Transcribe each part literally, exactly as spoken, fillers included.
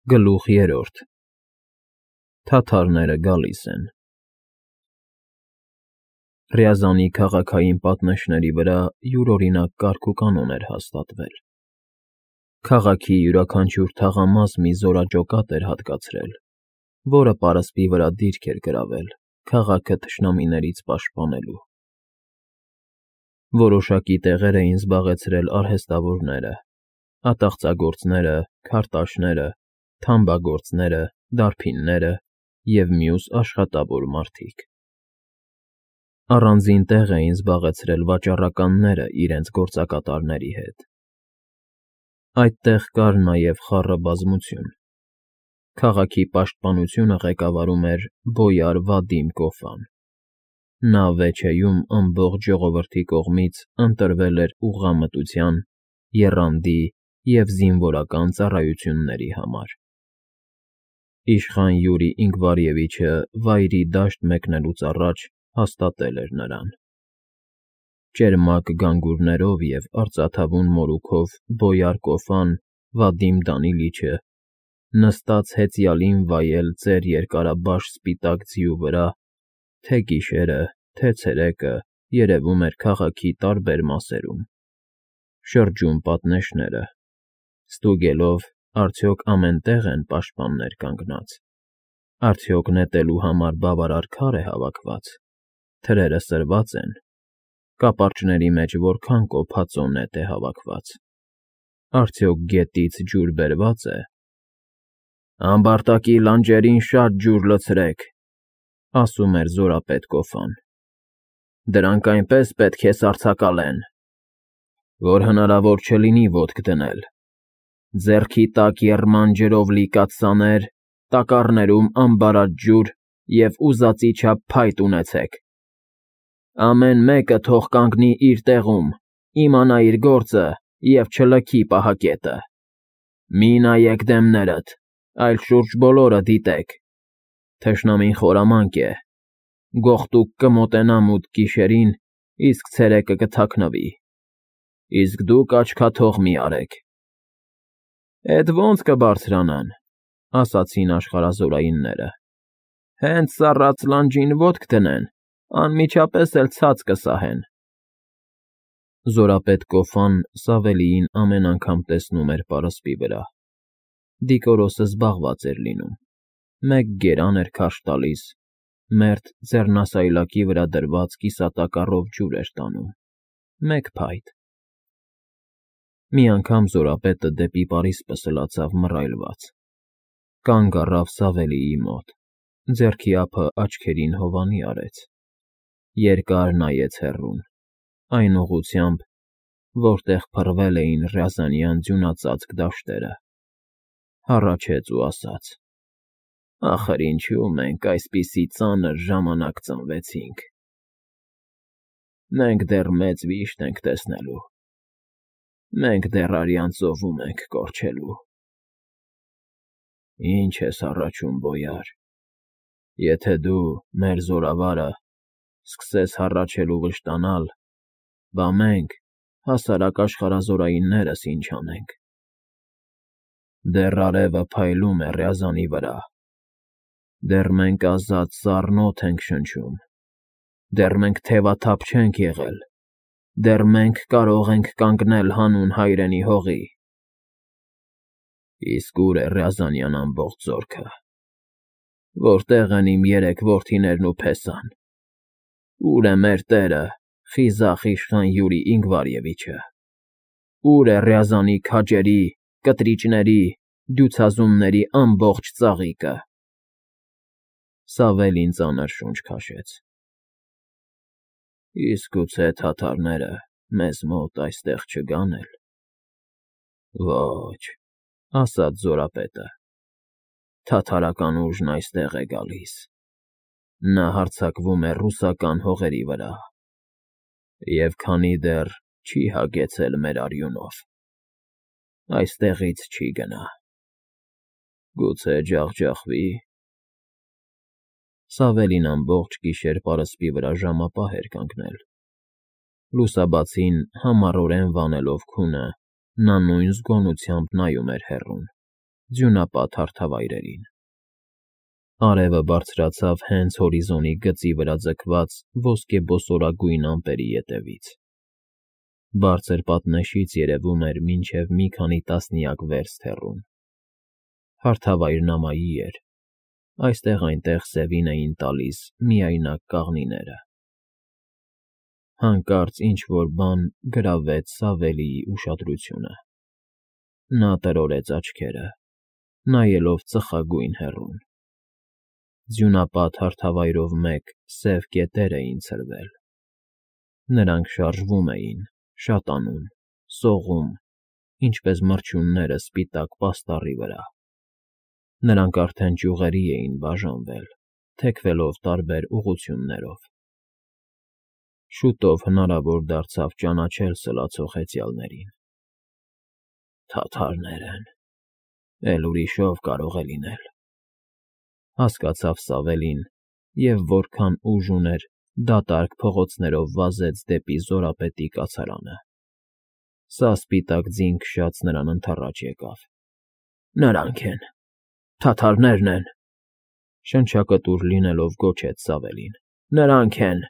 Գլուխ երրորդ Թաթարները գալիս են։ Ռյազանի քաղաքային պատնեշների վրա յուրօրինակ կարգուկանոն էր հաստատվել։ Քաղաքի յուրաքանչյուր թաղամաս մի զորաճոկատ էր հատկացրել, որը պարսպի վրա դիրք էր գրավել քաղաքը թշնամիներից պաշտպանելու։ Որոշակի տեղեր էին զբաղեցրել արհեստավորները, ատաղծագործները, քարտաշները, թամբագործները, դարբինները և մյուս աշխատավոր մարդիկ։ Առանձին տեղ էին զբաղեցրել վաճառականները իրենց գործակատարների հետ։ Այդտեղ կար նաև խառը բազմություն։ Քաղաքի պաշտպանությունը ղեկավարում էր բոյար Վադիմ Կոֆան։ Նա Վեչեյում ամբողջ ժողովրդի կողմից ընտրվել էր ուղղամտության, եռանդի և զինվորական ծառայությունների համար։ Իշխան Յուրի Ինգվարևիչը վայրի դաշտ մեկնելուց առաջ հաստատել էր նրան։ Ճերմակ գանգուրներով և արծաթավուն մորուքով բոյար Կոֆան Վադիմ Դանիլիչը նստած հեծյալին վայել ծեր երկարաբաշխ սպիտակ ձիու վրա, թե գիշերը, թե ցերեկը երևում էր քաղաքի տարբեր մասերում, շրջում պատնեշները, ստուգելով՝ արդյոք ամեն տեղ են պաշտպաններ կանգնած, արդյոք նետելու համար բավարար քար է հավաքված, թրերը սրված են, կապարճների մեջ որքան կոփածո նետ է հավաքված, արդյոք գետից ջուր բերվա՞ծ է։ «Ամբարտակի լանջերին շատ ջուր լցրեք,֊ ասում էր զորապետ Կոֆան,֊ դրանք այնպես պետք է սառցակալեն, որ հնարավոր չլինի ոտք դնել, ձեռքի տակ եռման ջրով լի կաթսաներ, տակառներում ամբարած ջուր և ուզածի չափ փայտ ունեցեք։ Ամեն մեկը թող կանգնի իր տեղում, իմանա իր գործը և չլքի պահակետը։ Մի նայեք դեմներդ, այլ շուրջ բոլորը դիտեք։ Թշնամին խորամանկ է, գողտուկ կմոտենա մութ գիշերին, իսկ ցերեկը կթաքնվի, իսկ դուք աչքաթող մի արեք։ «Էդ ո՞նց կբարձրանան,֊ ասացին աշխարհազորայինները,֊ հենց սառած լանջին ոտք դնեն, անմիջապես էլ ցած կսահեն»։ Զորապետ Կոֆան Սավելիին ամեն անգամ տեսնում էր պարսպի վրա։ Դիկորոսը զբաղված էր լինում, մեկ գերան էր քարշ տալիս, մերթ ձեռնասայլակի վրա դրված կիսատակառով ջուր էր տանում, մեկ փայտ։ Մի անգամ զորապետը դեպի պարիսպը սլացավ մռայլված, կանգ առավ Սավելիի մոտ, ձեռքի ափը աչքերին հովանի արեց, երկար նայեց հեռուն, այն ուղղությամբ, որտեղ փռվել էին Ռյազանյան ձյունածածկ դաշտերը, հառաչեց ու ասաց. «Ախր ինչու մենք այսպիսի ծանր ժամանակ ծնվեցինք։ Մենք դեռ մեծ վիշտ ենք տեսնելու, մենք դեռ արյան ծովում ենք կորչելու»։ «Ի՞նչ ես հառաչում, բոյար, եթե դու, մեր զորավարը, սկսես հառաչել ու վշտանալ, բա մենք, հասարակ աշխարհազորայիններս, ինչ անենք։ Դեռ արևը փայլում է Ռյազանի վրա, դեռ մենք ազատ սառն օդ ենք շնչում, դեռ մենք թևաթափ չենք եղել, դեռ մենք կարող ենք կանգնել հանուն հայրենի հողի։ Իսկ ո՞ւր է Ռյազանյան ամբողջ զորքը, որտե՞ղ են իմ երեք որդիներն ու փեսան, ո՞ւր է մեր տերը, խիզախ իշխան Յուրի Ինգվարևիչը, ո՞ւր է Ռյազանի քաջերի, կտրիճների, դյուցազունների ամբողջ ծաղիկը»։ Սավելին ծանր շունչ քաշեց։ «Իսկ գուցե թաթարները մեզ մոտ այստեղ չգան էլ»։ «Ոչ,֊ ասաց զորապետը,֊ թաթարական ուժն այստեղ է գալիս, նա հարձակվում է ռուսական հողերի վրա, և քանի դեռ չի հագեցել մեր արյունով, այստեղից չի գնա։ Գուցե ջախջախվի՞։ Սավելին ամբողջ գիշեր պարսպի վրա ժամապահ էր կանգնել։ Լուսաբացին համառորեն վանելով քունը, նա նույն զգոնությամբ նայում էր հեռուն, ձյունապատ հարթավայրերին։ Արևը բարձրացավ հենց հորիզոնի գծի վրա ձգված ոսկեբոսորագույն ամպերի ետևից։ Բարձր պատնեշից երևում էր մինչև մի քանի տասնյակ վերստ հեռուն։ Հարթավայրն ամայի էր, այստեղ-այնտեղ սևին էին տալիս միայնակ կաղնիները։ Հանկարծ ինչ-որ բան գրավեց Սավելիի ուշադրությունը։ Նա տրորեց աչքերը, նայելով ծխագույն հեռուն։ Ձյունապատ հարթավայրով մեկ սև կետեր էին ցրվել։ Նրանք շարժվում էին, շատանում, սողում, ինչպես մրջյունները սպիտակ պաստառի վրա։ Նրանք արդեն ճյուղերի էին բաժանվել, թեքվելով տարբեր ուղղություններով։ Շուտով հնարավոր դարձավ ճանաչել սլացող հեծյալներին։ Թաթարներ են, էլ ուրիշով կարող է լինել, հասկացավ Սավելին, և որքան ուժ ուներ, դատարկ փողոցներով վազեց դեպի Զորապետի կացարանը։ Սա սպիտակ ձին քշած նրան ընդառաջ եկավ։ Նրանք են, թաթարներն են, շնչակտուր լինելով գոչեց Սավելին։ Նրանք են,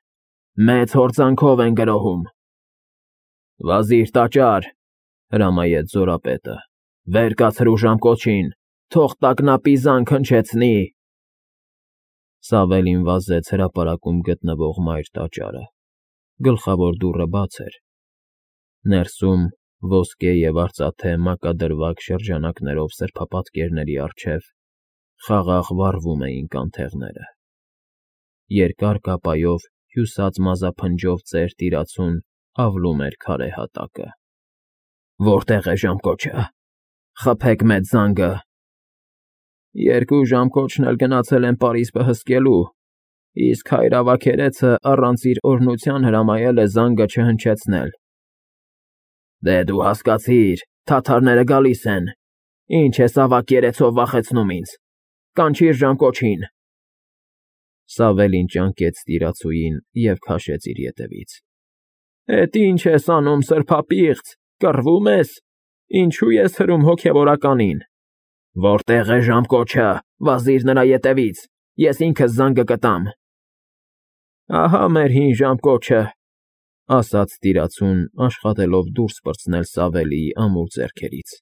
մեծ հորձանքով են գրոհում։ Վազիր տաճար, հրամայեց Զորապետը, վեր կացրու ժամկոչին, թող տագնապի զանգ հնչեցնի։ Սավելին վազեց հրապարակում գտնվող մայր տաճարը։ Գլխավոր դուռը բաց էր։ Ներսում, ոսկե և արծաթե մակադրվակ շրջանակներով սրբապատկերների առջև, խաղաղ վառվում էին կանթեղները։ Երկար կապայով հյուսած մազափնջով ծեր տիրացուն ավլում էր քարե հատակը։ Որտե՞ղ է ժամկոչը, խփեք մեծ զանգը։ Երկու ժամկոչն էլ գնացել են պարիսպը հսկելու, իսկ հայր ավագերեցը առանց իր օրհնության հրամայել է զանգը չհնչեցնել։ Դե դու հասկացիր, թաթարները գալիս են, ինչ ես ավագերեցով վախեցնում ինձ, կանչիր ժամկոչին։ Սավելին ճանկեց տիրացուին և քաշեց իր ետևից։ Էդ ինչ ես անում, սրբապիղծ, կռվում ես, ինչու ես հրում հոգևորականին։ Որտե՞ղ է ժամկոչը, վազիր նրա ետևից, ես ինքս զանգը կտամ։ Ահա մեր հին ժամկոչը, ասաց տիրացուն, աշխատելով դուրս պրծնել Սավելիի ամուր ձեռքերից։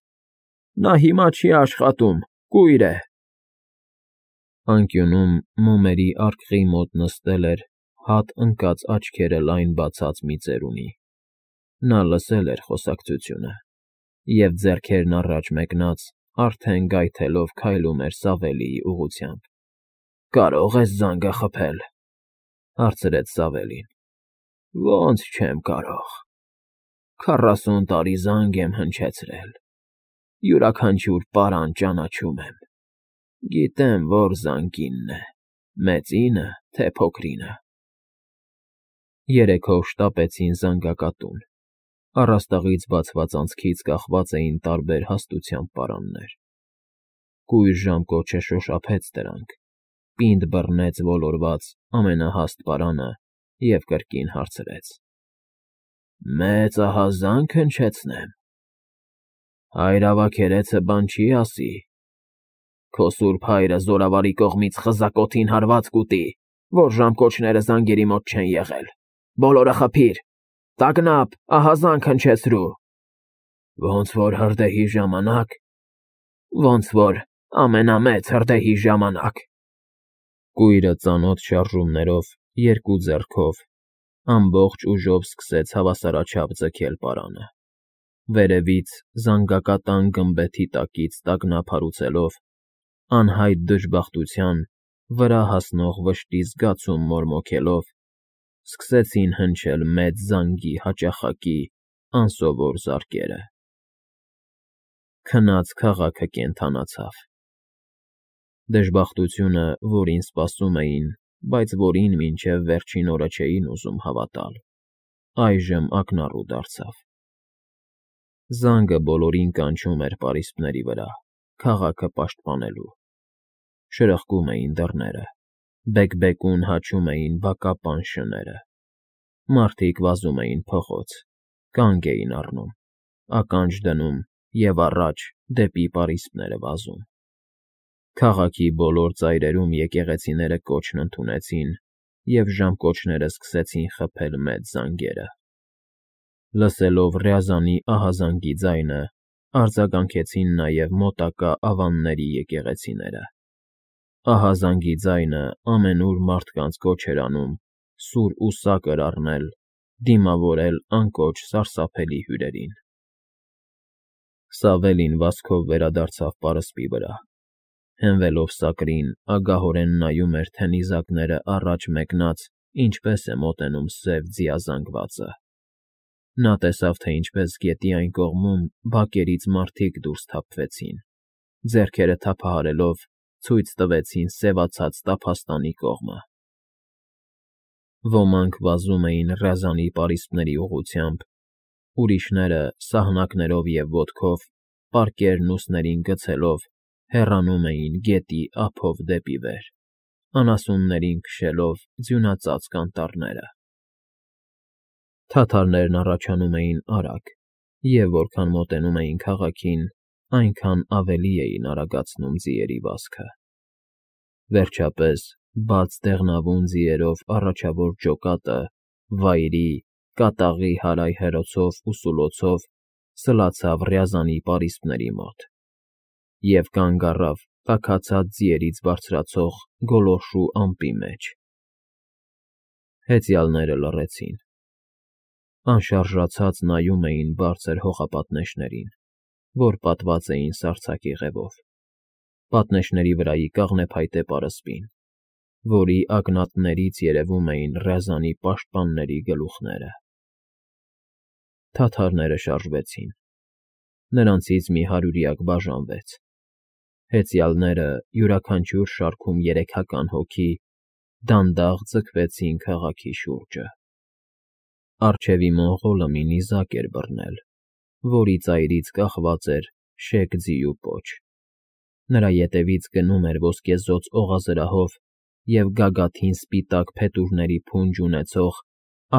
Նա հիմա չի աշխատում, կույր է։ Անկյունում մոմերի արկղի մոտ նստել էր հատ ընկած աչքերը լայն բացած մի ծերունի։ Նա լսել էր խոսակցությունը և ձեռքերն առաջ մեկնած, արդեն գայթելով քայլում էր Սավելիի ուղղությամբ։ Կարո՞ղ ես զանգը խփել, հարցրեց Սավելին։ Ոնց չեմ կարող, քառասուն տարի զանգ եմ հնչեցրել, յուրաքանչյուր պարան ճանաչում եմ, գիտեմ, որ զանգինն է, մեծինը, թե փոքրինը։ Երեքով շտապեցին զանգակատուն։ Առաստաղից բացված անցքից կախված էին տարբեր հաստությամբ պարաններ։ Կույր ժամկոչը շոշափեց դրանք, պինդ բռնեց ոլորված ամենահաստ պարանը և կրկին հարցրեց. Մեծ ահա զանգ հնչեցնեմ։ Հայր ավագերեցը բան չի ասի։ Քո սուրբ հայրը զորավարի կողմից խզակոթին հարված կուտի, որ ժամկոչները զանգերի մոտ չեն եղել։ Բոլորը խփիր, տագնապ, ահա զանգ հնչեցրու։ Ոնց որ հրդեհի ժամանակ, ոնց որ ամենամեծ հրդեհի ժամանակ։ Կույրը ծանոթ շարժումներով, երկու ձեռքով, ամբողջ ուժով սկսեց հավասարաչափ ձգել պարանը։ Վերևից զանգակատան գմբեթի տակից տագնապ հարուցելով, անհայտ դժբախտության, վրա հասնող վշտի զգացում մորմոքելով, սկսեցին հնչել մեծ զանգի հաճախակի անսովոր զարկերը։ Քնած քաղաքը կենդանացավ։ Դժբախտությունը, որին սպասում էին, բայց որին մինչև վերջին օրը չէին ուզում հավատալ, այժմ ակնառու դարձավ։ Զանգը բոլորին կանչում էր պարիսպների վրա, քաղաքը պաշտպանելու։ Շրխկում էին դռները, բեկ֊բեկուն հաչում էին բակապան շները։ Մարդիկ վազում էին փողոց, կանգ էին առնում, ականջ դնում և առաջ դեպի պարիսպները վազում։ Քաղաքի բոլոր ծայրերում եկեղեցիները կոչն ընդունեցին, և ժամկոչները սկսեցին խփել մեծ զանգերը։ Լսելով Ռյազանի ահազանգի ձայնը, արձագանքեցին նաև մոտակա ավանների եկեղեցիները։ Ահազանգի ձայնը ամենուր մարդկանց կոչ էր անում սուր ու սակր առնել, դիմավորել անկոչ սարսափելի հյուրերին։ Սավելին վազքով վերադարձավ պարսպի վրա։ Հենվելով սակրին, ագահորեն նայում էր, թե նիզակները առաջ մեկնած ինչպես է մոտենում սև ձիազանգվածը։ Նա տեսավ, թե ինչպես գետի այն կողմում բակերից մարդիկ դուրս թափվեցին, ձեռքերը թափահարելով ցույց տվեցին սևացած տափաստանի կողմը։ Ոմանք վազում էին Ռյազանի պարիսպների ուղղությամբ, ուրիշները սահնակներով և ոտքով, պարկերն ուսներին գցելով, հեռանում էին գետի ափով դեպի վեր, անասուններին քշելով ձյունածածկ անտառները։ Թաթարներն առաջանում էին արագ, և որքան մոտենում էին քաղաքին, այնքան ավելի էին արագացնում ձիերի վազքը։ Վերջապես, բաց դեղնավուն ձիերով առաջավոր ջոկատը վայրի, կատաղի հարայհեռոցով ու սուլոցով սլացավ Ռյազանի պարիսպների մոտ և կանգ առավ տաքացած ձիերից բարձրացող գոլորշու ամպի մեջ։ Հեծյալները լռեցին։ Անշարժացած նայում էին բարձր հողապատնեշներին, որ պատված էին սառցակի ղևով, պատնեշների վրայի կաղնեփայտե պարսպին, որի ակնատներից երևում էին Ռյազանի պաշտպանների գլուխները։ Թաթարները շարժվեցին։ Նրանցից մի հարյուրյակ բաժանվեց։ Հեծյալները, յուրաքանչյուր շարքում երեքական հոգի, դանդաղ ձգվեցին քաղաքի շուրջը։ Առջևի մոնղոլը մի նիզակ էր բռնել, որի ծայրից կախված էր շեք ձիու պոչ։ Նրա ետևից գնում էր ոսկեզօծ օղազրահով և գագաթին սպիտակ փետուրների փունջ ունեցող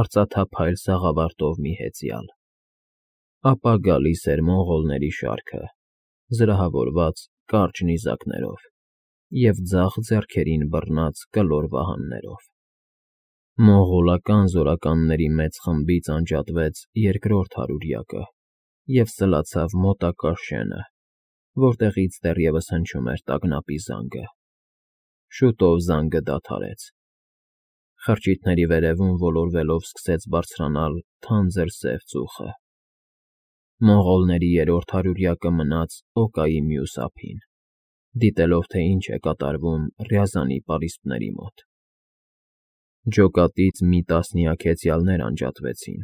արծաթափայլ սաղավարտով մի հեծյալ։ Ապա գալիս էր մոնղոլների շարքը, զրահավորված կարճ նիզակներով և ձախ ձեռքերին բռնած կլոր վահաններով։ Մոնղոլական զորականների մեծ խմբից անջատվեց երկրորդ հարյուրյակը և սլացավ մոտակա շենը, որտեղից դեռևս հնչում էր տագնապի զանգը։ Շուտով զանգը դադարեց։ Խրճիթների վերևում ոլորվելով սկսեց բարձրանալ թանձր սև ծուխը։ Մոնղոլների երրորդ հարյուրյակը մնաց Օկայի մյուս ափին, դիտելով, թե ինչ է կատարվում Ռյազանի պարիսպների մոտ։ Ջոկատից մի տասնյակ հեծյալներ անջատվեցին,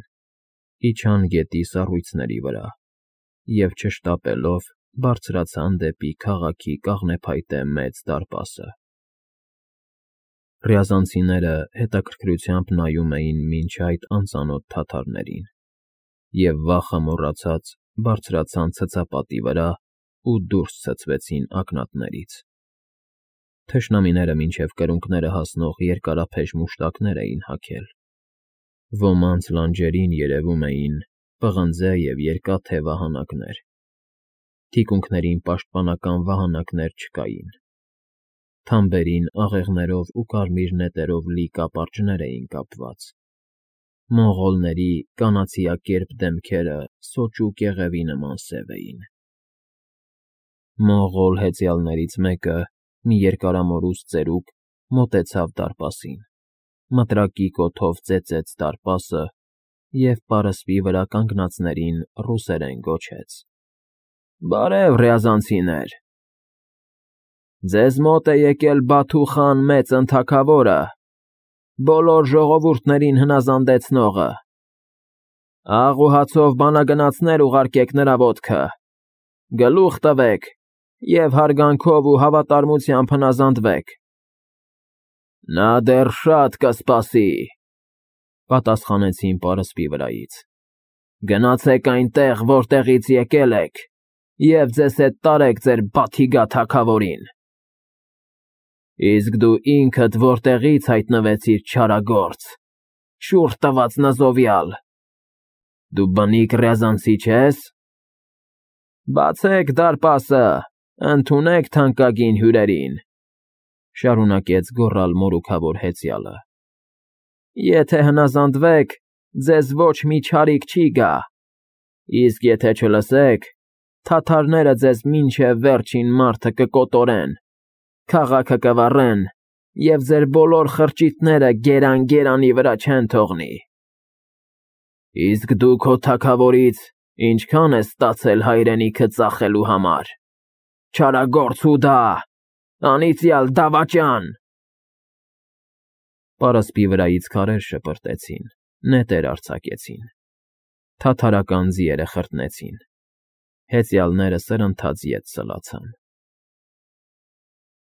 իջան գետի սառույցների վրա և, չշտապելով, բարձրացան դեպի քաղաքի կաղնեփայտե մեծ դարպասը։ Ռյազանցիները հետաքրքրությամբ նայում էին մինչ այդ անծանոթ թաթարներին և, վախը մոռացած, բարձրացան ցցապատի վրա ու դուրս ցցվեցին ակնատներից։ Թշնամիները մինչև կրունկները հասնող երկարափեշ մուշտակներ էին հագել։ Ոմանց լանջերին երևում էին պղնձե և երկաթե վահանակներ։ Թիկունքներին պաշտպանական վահանակներ չկային։ Թամբերին աղեղներով ու կարմիր նետերով լի կապարճներ էին կապված։ Մոնղոլների կանացիակերպ դեմքերը սոճու կեղևի նման սև էին։ Մոնղոլ հեծյալներից մեկը, մի երկարամորուս ծերուկ, մոտեցավ դարպասին, մտրակի կոթով ծեծեց դարպասը և պարսպի վրա կանգնածներին ռուսերեն գոչեց. «Բարև, ռյազանցիներ… Ձեզ մոտ է եկել Բաթու խան Մեծն Թագավորը, բոլոր ժողովուրդներին հնազանդեցնողը։ Աղ ու հացով բանագնացներ ուղարկեք նրա ոտքը, գլուխ տվեք և հարգանքով ու հավատարմությամբ հնազանդվեք։ Նա դեռ շատ կսպասի», ֊ պատասխանեցին պարսպի վրայից։ «Գնացեք այնտեղ, որտեղից եկել եք, և ձեզ հետ տարեք ձեր Բաթիգա թագավորին»։ «Իսկ դու ինքդ որտեղի՞ց հայտնվեցիր, չարագործ, շուռ տված նզովյալ, դու բնիկ ռյազանցի չե՞ս։ Բացեք դարպասը, ընդունեք թանկագին հյուրերին, շարունակեց գոռալ մորուքավոր հեծյալը։ Եթե հնազանդվեք, ձեզ ոչ մի չարիք չի գա, իսկ եթե չլսեք, թաթարները ձեզ մինչև վերջին մարդը կկոտորեն, քաղաքը կվառեն և ձեր բոլոր խրճիթները գերան֊գերանի վրա չեն թողնի։ Իսկ դու քո թագավորից ինչքա՞ն ես ստացել հայրենիքդ ծախելու համար, չարագործ Հուդա, անիծյալ դավաճան… Պարսպի վրայից քարեր շպրտեցին, նետեր արձակեցին, թաթարական ձիերը խրտնեցին, հեծյալները սրընթաց ետ սլացան։